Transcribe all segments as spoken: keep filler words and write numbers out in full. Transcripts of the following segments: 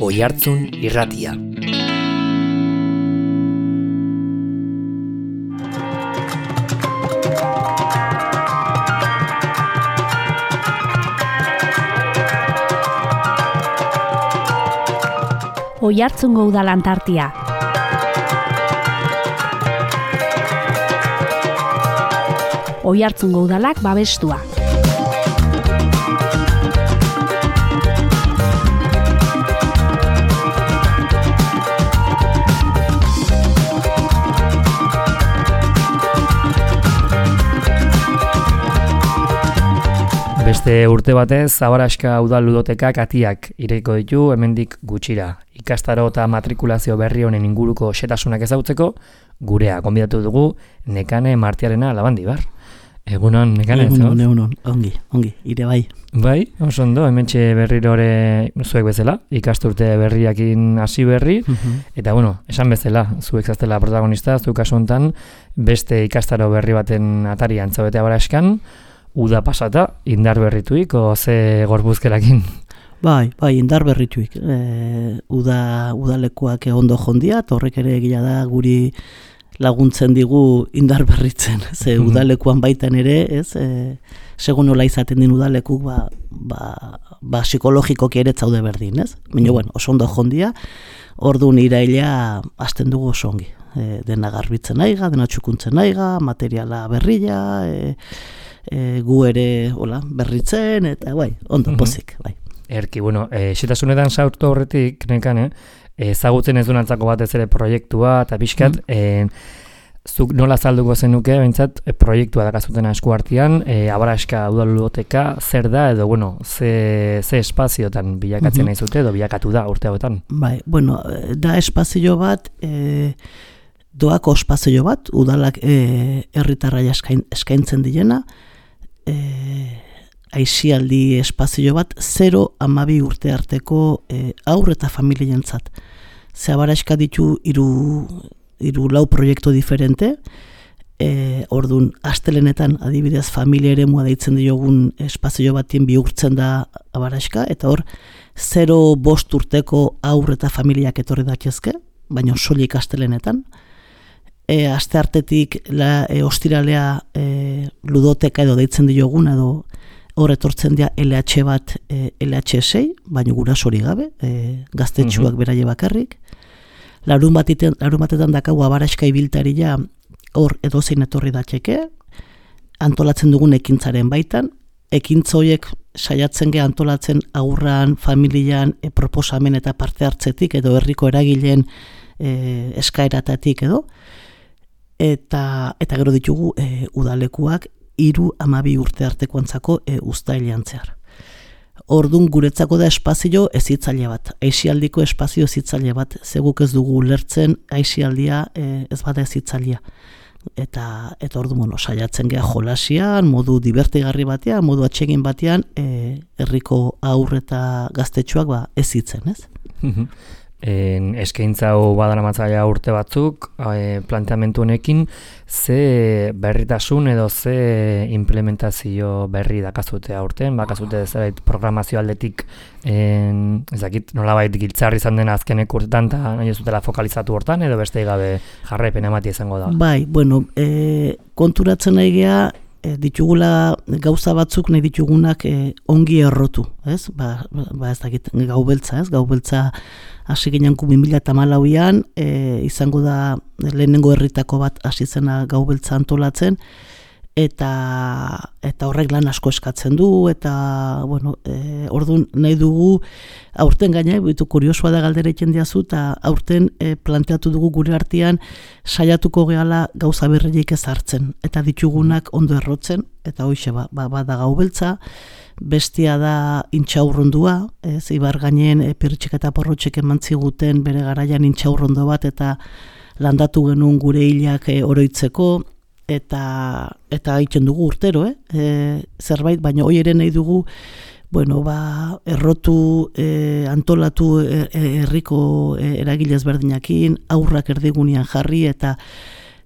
Oihartzun Irratia. Oihartzungo Udal Antartia. Oihartzungo Udalak babestua. Beste urte batez, Zabaraska Udal Ludotekak atiak ireiko ditu hemendik gutxira. Ikastaro eta matrikulazio berri honen inguruko xetasunak ezagutzeko, gurea gonbidatu dugu Nekane Martiarena Labandibar. Egunon, Nekane, ez? Egunon, egunon, ongi, ongi, ire bai. Bai, oso ondo, hementxe berrirore zuek bezala, ikasturte berriakin hasi berri, uh-huh. Eta bueno, esan bezala, zuek zaztela protagonista, zuek kasu honetan, beste ikastaro berri baten atarian zaudete Abaraskan, uda pasata, indar berrituik, o ze gorbuzkerakin? Bai, bai, indar berrituik. E, uda, udalekuak ondo jondia, eta horrek ere egia da guri laguntzen digu indar berritzen. Ze udalekuan baitan ere, ez, e, segun nola izaten din udalekuk, ba, ba, ba psikologikoki ere zaude berdin, ez? Baina, bueno, oso ondo jondia, orduan iraila hasten dugu oso ongi. E, dena garbitzen aiga, dena txukuntzen aiga, materiala berrila, e, E, gu ere hola, berritzen, eta bai, ondo, uh-huh. Pozik, bai. Erki, bueno, e, xetasunetan saurtu horretik, Nekane, ezagutzen ez dunantzako batez ere proiektua, eta pixkat, uh-huh. e, zuk nola zalduko zenuke, behintzat, e, proiektua dakazuten esku artean, e, Abaraska Udal Ludoteka, zer da, edo, bueno, ze, ze espaziotan bilakatzen uh-huh. nahi zute, edo bilakatu da urte hauetan? Bai, bueno, da espazio bat, e, doako espazio bat, udalak e, herritarrai eskain, eskaintzen dilena, E, aizialdi espazio bat zero amabi urte arteko e, aur eta familientzat. Ze Abaraska ditu hiru hiru lau proiektu diferente, e, ordun astelenetan adibidez familia eremua deitzen diogun espazio batien bihurtzen da Abaraska, eta hor zero bost urteko aur eta familiak etorri daitezke, baina soilik astelenetan. E, aste hartetik la, e, ostiralea e, ludoteka edo deitzen diogun edo hor etortzen dira L H bat e, L H sei, baina gurasori gabe, e, gaztetxuak uh-huh. beraie bakarrik. Larun batetan, larun batetan dakagu Abaraska ibiltaria hor edozein etorri datzeke, antolatzen dugun ekintzaren baitan, ekintza horiek saiatzen ge antolatzen agurran, familian, e, proposamen eta parte hartzetik edo herriko eragileen e, eskaeratatik edo, eta eta gero ditugu e, udalekuak hiru hamabi urte artekoantzako e, uztailean zehar. Ordun guretzako da espazio hezitzaile bat, aisialdiko espazio hezitzaile bat, zeguk ez dugu ulertzen aisialdia e, ez bada hezitzailea. Eta eta ordu mono saiatzen gea jolasian, modu divertigarri batean, modu atsegin batean, e, herriko haur eta gaztetxoak ba hezitzen, ez? En, eskaintza hau badaramatzaia urte batzuk, e, planteamentu honekin, ze berritasun edo ze implementazio berri dakazute aurten, bakazute zerbait programazio aldetik, en, ez dakit nolabait giltzarri izan den azkenek urtetan, eta nahi ez dutela fokalizatu hortan, edo beste gabe jarraipen ematia izango da? Bai, bueno, e, konturatzen nahi geha, e, ditugula gauza batzuk nahi ditugunak e, ongi errotu, ez? Ba, ba ez dakit gaubeltza, ez? Gaubeltza hasi gineanku bi mila hamalauan, e, izango da lehenengo herritako bat hasi zena gaubeltza antolatzen, eta eta horrek lan asko eskatzen du, eta bueno, e, orduan nahi dugu aurten gaina, bitu kuriosoa da galdera egiten diazu, eta aurten e, planteatu dugu gure artean saiatuko gehala gauza berriak ez hartzen, eta ditugunak ondo errotzen, eta hoixe ba, ba, ba da gaubeltza, bestia da intxaurrondua, ez, ibar gainen e, Pirritxek eta Porrotxek eman ziguten bere garaian intxaurrondo bat, eta landatu genuen gure hilak e, oroitzeko, eta eta egiten dugu urtero, eh? E, zerbait, baina hoi ere nahi dugu, bueno, ba, errotu, e, antolatu herriko e, e, eragilez berdinakin, aurrak erdigunean jarri, eta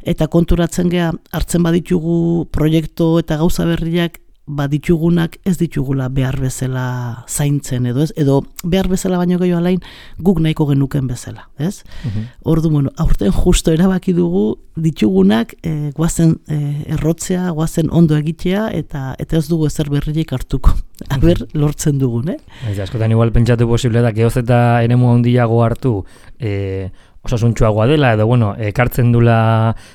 eta konturatzen gea hartzen baditugu proiektu eta gauza berriak ba ditugunak ez ditugula behar bezala zaintzen edo ez, edo behar bezala baino gehiago alain guk nahiko genuken bezala, ez? Uh-huh. Ordu, bueno, aurten justo erabaki dugu ditugunak e, guazen e, errotzea, guazen ondo egitea eta eta ez dugu ezer berririk hartuko. Aber, lortzen dugun, eh? Ez, askotan igual pentsatu posible da, geoz eta eremu handiago hartu, eh, osasuntxuagoa dela, edo, bueno, ekartzen dula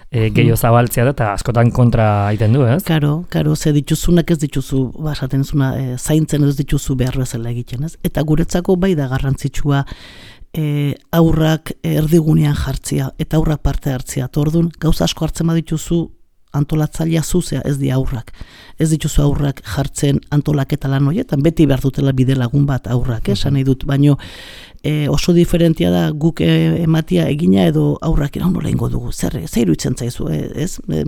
e, gehiago zabaltzea da, eta askotan kontra egiten du, ez? Karo, karo, ze dituzunak ez dituzu, basaten zuna, e, zaintzen ez dituzu behar bezala egiten, ez? Eta guretzako bai da garrantzitsua e, aurrak erdigunean jartzea, eta aurrak parte hartzea. Tordun, gauza asko hartzen badituzu, antolatzailea zuzea ez di aurrak. Ez dituzu aurrak jartzen antolaketa lan horietan, beti behar dutela bide lagun bat aurrak, esan nahi dut, baino e, oso diferentia da guk e, ematia egina edo aurrak iraun nola ingo dugu, zer, zer iruditzen zaizu, e, ez? E,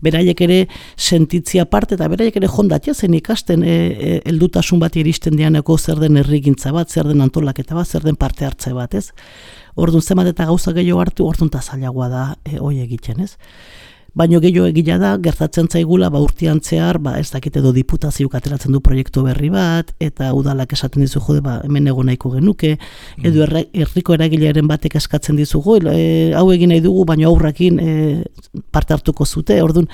beraiek ere sentitzia parte eta beraiek ere jondatia zen ikasten e, e, heldutasun bat iristen dianeko zer den herrigintza bat, zer den antolaketa bat, zer den parte hartze bat, ez? Orduan zemat eta gauza gehiago hartu, orduan ta zailagoa da e, hoi egiten, ez? Baino gehiago egila da, gertatzen zaigula, ba urtean zehar, ba ez dakit edo diputazioak ateratzen du proiektu berri bat, eta udalak esaten dizu jode, ba hemen egon nahiko genuke, edo herriko eragilearen batek eskatzen dizugu, e, hau egin nahi dugu, baino aurrakin e, parte hartuko zute, orduan,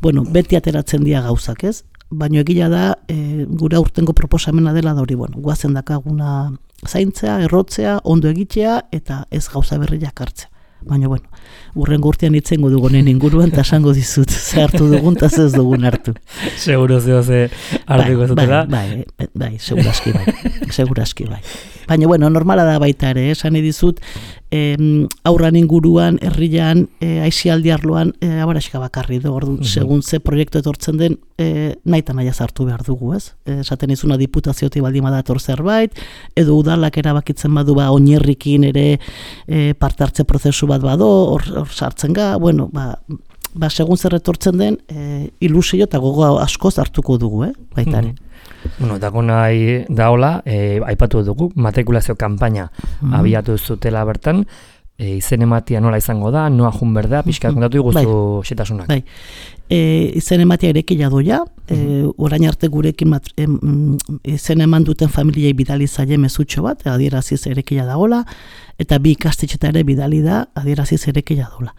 bueno, beti ateratzen dira gauzak, ez? Baino egila da, e, gure aurtengo proposamena dela da hori, bueno, guazen dakaguna zaintzea, errotzea, ondo egitea, eta ez gauza berriak hartzea. Baina, bueno, urrengo urtean itzengo dugunen inguruan, eta esango dizut, ze hartu dugun, eta ez dugun hartu. Seguro zeo ze hartuko zutela? Bai, bai, bai, seguraski bai, seguraski bai. Baina, bueno, normala da baita ere, esan edizut, eh, aurran inguruan, herrian, eh, aizialdi arloan, eh, abaraxika bakarri du, ordu, uh-huh. Segun ze proiektu etortzen den, eh, nahi eta nahi hartu behar dugu, ez? Eh, esaten izuna diputaziotik baldin badator zerbait, edo udalak erabakitzen badu ba, oinerrikin ere eh, parte hartze prozesu bat bado, hor, hor sartzen ga, bueno, ba, ba segun zer etortzen den, eh, ilusio eta gogo askoz hartuko dugu, eh? Baitare. Uh-huh. Bueno, dago nahi daola, e, aipatu dugu, matrikulazio kanpaina mm. abiatu zutela bertan, e, izen ematia nola izango da, noa jun berda, pixka kontatu iguzu xetasunak. Bai, e, izen ematia erekila doia, e, orain arte gurekin mat, e, izen eman duten familiei bidali zaie mezutxo bat, adieraziz erekila daola, eta bi ikastetxeta ere bidali da, adieraziz erekila daola.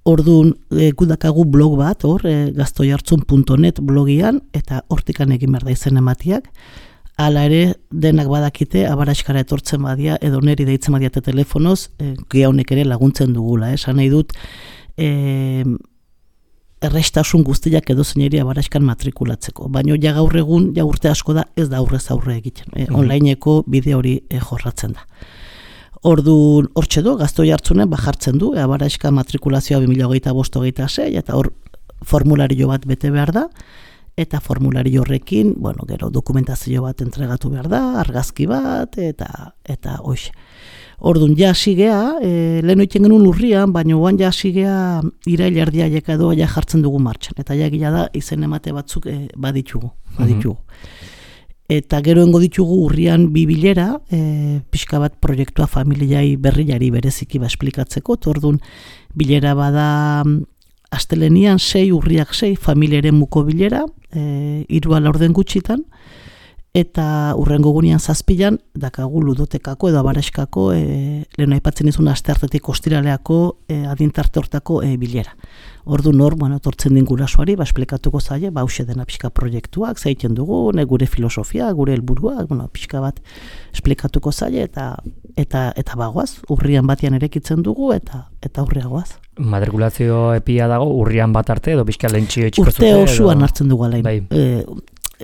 Orduan, e, gudakagu blog bat, hor, e, gaztoihartzun puntu net blogian, eta hortikan egin behar da izen ematiak. Hala ere, denak badakite, abaraxkara etortzen badia, edo neri deitzen badia eta telefonoz, e, gehonek ere laguntzen dugula. Esan nahi dut, e, errestasun guztiak edo zeineri abaraxkan matrikulatzeko. Baina ja gaur egun, ja urte asko da, ez da aurrez aurre egiten. E, onlineko bide hori e, jorratzen da. Ordu hortxe du, gaztoi hartzunen, bajartzen du, abaraxka matrikulazioa bi mila hogeita bost hogeita sei, eta hor formulario bat bete behar da, eta formulario horrekin, bueno, gero dokumentazio bat entregatu behar da, argazki bat, eta eta hoxe. Orduan, ja sigea, e, lehen oiten genuen urrian, baina oan ja sigea irail erdiaiek edo ja jartzen dugu martxan, eta ja gila da, izen emate batzuk e, baditugu, baditugu. Mm-hmm. Eta gero engo ditugu urrian bi bilera, e, pixka bat proiektua familiai berriari bereziki ba esplikatzeko, orduan bilera bada astelenian sei, urriak sei, familiaren muko bilera, e, hiru ala orden gutxitan, eta urrengo gunean zazpilan, dakagu ludotekako edo abaraxkako, e, lehen aipatzen izun asteartetik ostiraleako e, adintarte hortako e, bilera. Ordu nor, bueno, tortzen din gurasoari, ba, esplikatuko zaie, ba, hauxe dena pixka proiektuak, zaiten dugu, ne, gure filosofia, gure helburuak, bueno, pixka bat esplikatuko zaie, eta eta eta bagoaz, urrian batean erekitzen dugu, eta eta urriagoaz. Matrikulazio epia dago, urrian bat arte, edo pixka lehentxio etxiko zute? Urte osuan hartzen dugu alain. Bai. E,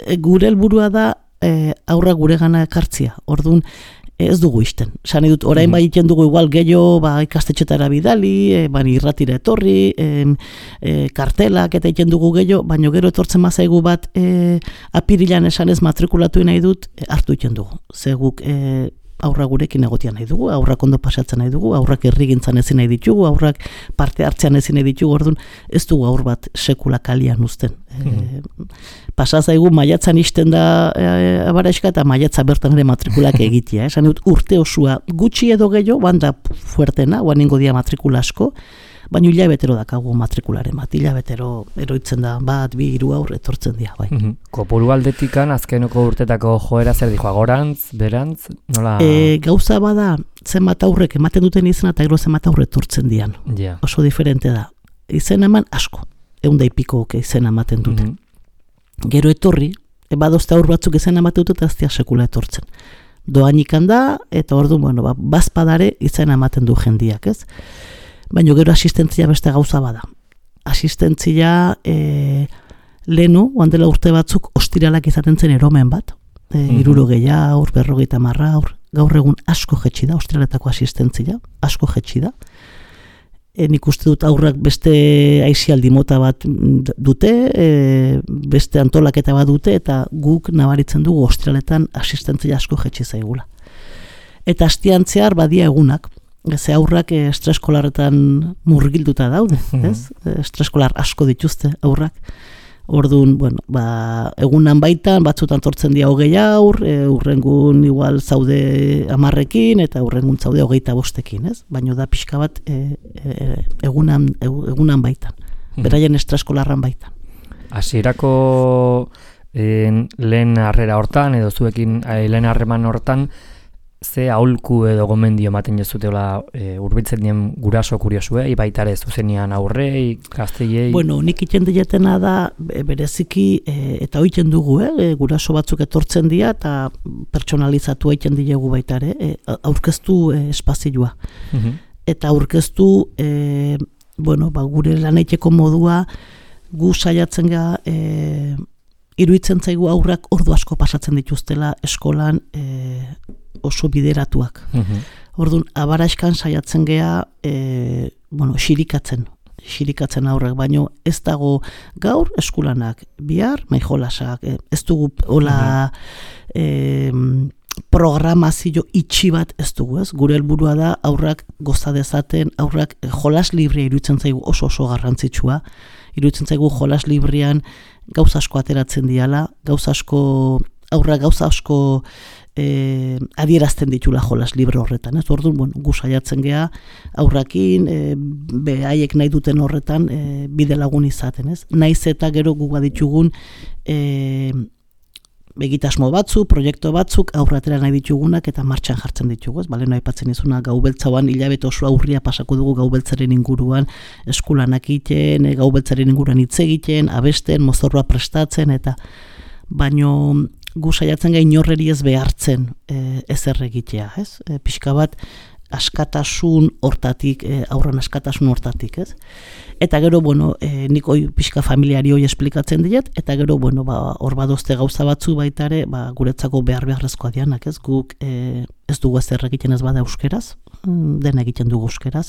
e, gure helburua da, e, aurra gure gana ekartzia, orduan, ez dugu isten. Sani dut, orain bai iten dugu igual gehiago ba, ikastetxetara bidali, e, bani irratira etorri, e, e, kartelak eta iten dugu gehiago, baina gero etortzen mazaigu bat e, apirilan esanez matrikulatu nahi dut, e, hartu iten dugu. Zeguk e, aurra gurekin egotia nahi dugu, aurrak ondo pasatzen nahi dugu, aurrak herrigintzan ezin nahi ditugu, aurrak parte hartzean ezin nahi ditugu, orduan ez dugu aur bat sekula kalian uzten. Mm-hmm. E, pasazaigu maiatzan isten da e, abaraxka eta maiatza bertan ere matrikulak egitea. Esan dut urte osua gutxi edo gehiago, banda fuertena, oan ingo dia matrikula asko, baina hilabetero dakagu matrikularen bat, hilabetero eroitzen da, bat, bi, hiru aur etortzen dira, bai. Mm-hmm. Kopuru aldetikan, azkenoko urtetako joera zer dijo, agorantz, berantz, nola? E, gauza bada, zenbat aurrek ematen duten izena eta gero zenbat aurre etortzen dian. Yeah. Oso diferente da. Izen eman asko, egun daipiko izena ematen duten. Mm-hmm. Gero etorri, badozte aur batzuk izena ematen dute eta aztia sekula etortzen. Doanikan da, eta ordu, bueno, ba, bazpadare izena ematen du jendiak, ez? Baina gero asistentzia beste gauza bada. Asistentzia e, lehenu, oandela urte batzuk, ostiralak izaten zen eromen bat. E, mm-hmm. Irurogei aur, berrogeita marra aur, gaur egun asko jetxi da, ostiraletako asistentzia, asko jetxi da. E, nik uste dut aurrak beste aisialdi mota bat dute, e, beste antolaketa bat dute, eta guk nabaritzen dugu ostiraletan asistentzia asko jetxi zaigula. Eta astiantzear badia egunak, ze aurrak e, estreskolarretan murgilduta daude, ez? E, estreskolar asko dituzte aurrak. Orduan, bueno, ba, egunan baitan, batzutan tortzen dira hogei aur, e, urrengun igual zaude amarrekin, eta urrengun zaude hogeita bostekin, ez? Baina da pixka bat e, e, egunan, egunan baitan, beraien estraskolarran baitan. Hasierako eh, lehen harrera hortan, edo zuekin eh, lehen harreman hortan, ze aholku edo gomendio ematen jezuteola e, urbiltzen dien guraso kuriosuei, baita ere zuzenian aurrei, gazteiei? Bueno, nik iten dietena da, bereziki, e, eta oiten dugu, eh, guraso batzuk etortzen dira, eta pertsonalizatu egiten diegu baita ere, e, aurkeztu e, espazioa. Mm-hmm. Eta aurkeztu, e, bueno, ba, gure laneiteko modua, gu saiatzen ga, e, iruditzen zaigu aurrak ordu asko pasatzen dituztela eskolan, e, oso bideratuak. Mm-hmm. Orduan, abaraiskan saiatzen gea, e, bueno, xirikatzen, xirikatzen aurrak, baino ez dago gaur eskulanak, bihar maijolasak, e, ez dugu hola mm-hmm. e, programazio itxi bat ez dugu, ez? Gure helburua da aurrak goza dezaten, aurrak e, jolas librea iruditzen zaigu oso oso garrantzitsua, iruditzen zaigu jolas librean gauza asko ateratzen diala, gauza asko, aurrak gauza asko E, adierazten ditula jolas libre horretan, ez? Orduan, bueno, gu saiatzen gea aurrakin, e, behaiek nahi duten horretan e, bide lagun izaten, ez? Naiz eta gero gu baditugun e, begitasmo batzu, proiektu batzuk aurratera nahi ditugunak eta martxan jartzen ditugu, ez? Bale, nahi aipatzen izuna gau beltzauan hilabete oso aurria pasako dugu gau beltzaren inguruan eskulanak egiten, e, gau beltzaren inguruan hitz egiten, abesten, mozorroa prestatzen, eta baino gu saiatzen gai inorreri ez behartzen e, ezer egitea, ez? E, pixka bat askatasun hortatik, e, aurran askatasun hortatik, ez? Eta gero, bueno, e, nik hoi pixka familiari hoi esplikatzen diet, eta gero, bueno, ba, hor badozte gauza batzu baitare, ba, guretzako behar beharrezkoa dianak, ez? Guk e, ez dugu ezer egiten ez bada euskeraz, den egiten dugu euskeraz,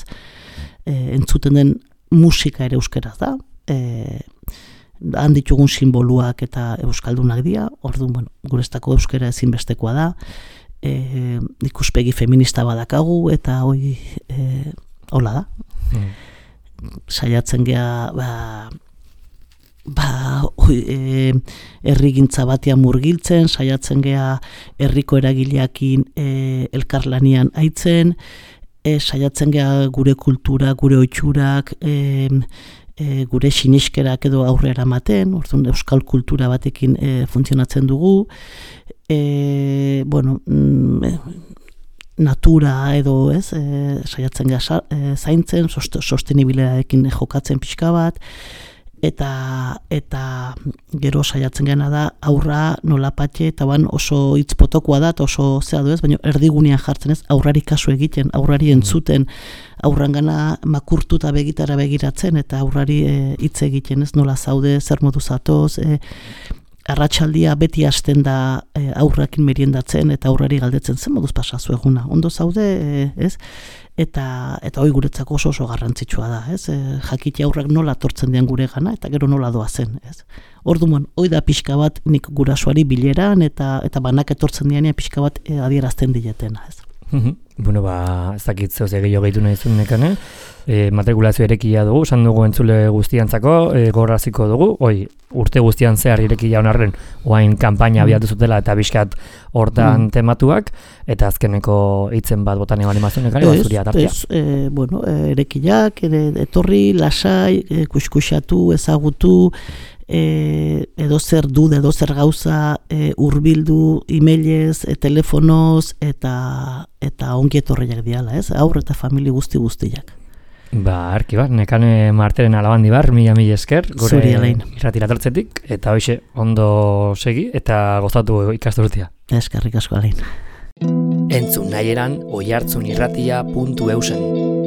e, entzuten den musika ere euskeraz da, e, han ditugun simboluak eta euskaldunak dira, orduan, bueno, gureztako euskera ezinbestekoa da, e, ikuspegi feminista badakagu, eta hoi, e, hola da. Mm. Saiatzen gea, ba, ba, oi, e, errigintza batean murgiltzen, saiatzen gea herriko eragileakin e, elkarlanian aitzen, e, saiatzen gea gure kultura, gure oitxurak, e, E, gure siniskerak edo aurrera ematen, orduan euskal kultura batekin e, funtzionatzen dugu, e, bueno, mm, natura edo ez, e, saiatzen gara e, zaintzen, sostenibilearekin jokatzen pixka bat, eta eta gero saiatzen gana da aurra nolapatxe, eta ban oso hitz potokoa da, oso zea du ez, baina erdigunean jartzen ez, aurrari kasu egiten, aurrari entzuten, aurrangana makurtuta begitara begiratzen, eta aurrari hitz e, egiten ez, nola zaude, zer modu zatoz, e, arratsaldia beti hasten da e, aurrakin meriendatzen, eta aurrari galdetzen zen moduz pasazu eguna, ondo zaude, e, ez? Eta eta hori guretzako oso oso garrantzitsua da, ez? E, jakite aurrak nola tortzen dian gure gana, eta gero nola doa zen, ez? Orduan, hori da pixka bat nik gurasoari bileran, eta eta banak etortzen dianean pixka bat e, adierazten dietena, ez? Bueno, ba, ez dakit zehoz egio gehitu nahi zuen nekane, e, matrikulazio erekia dugu, esan dugu entzule guztiantzako, e, gorraziko dugu, oi, urte guztian zehar irekia honarren, oain kanpaina abiatu zutela eta bizkat hortan mm. tematuak, eta azkeneko hitzen bat botan eban emazun nekane, bat zuria tartia. Ez, e, bueno, erekiak, ere, etorri, lasai, e, kuskusatu, ezagutu, E, edo zer du, edo zer gauza e, urbildu, emailez, e, telefonoz, eta eta ongi etorriak diala, ez? Aurre eta famili guzti guztiak. Ba, arki bat, nekane marteren alabandi bar, mila mila esker, gure irratira tortzetik, eta hoxe ondo segi, eta gozatu ikasturtia. Eskerrik asko alain. Entzun nahi eran, oihartzunirratia puntu eusen.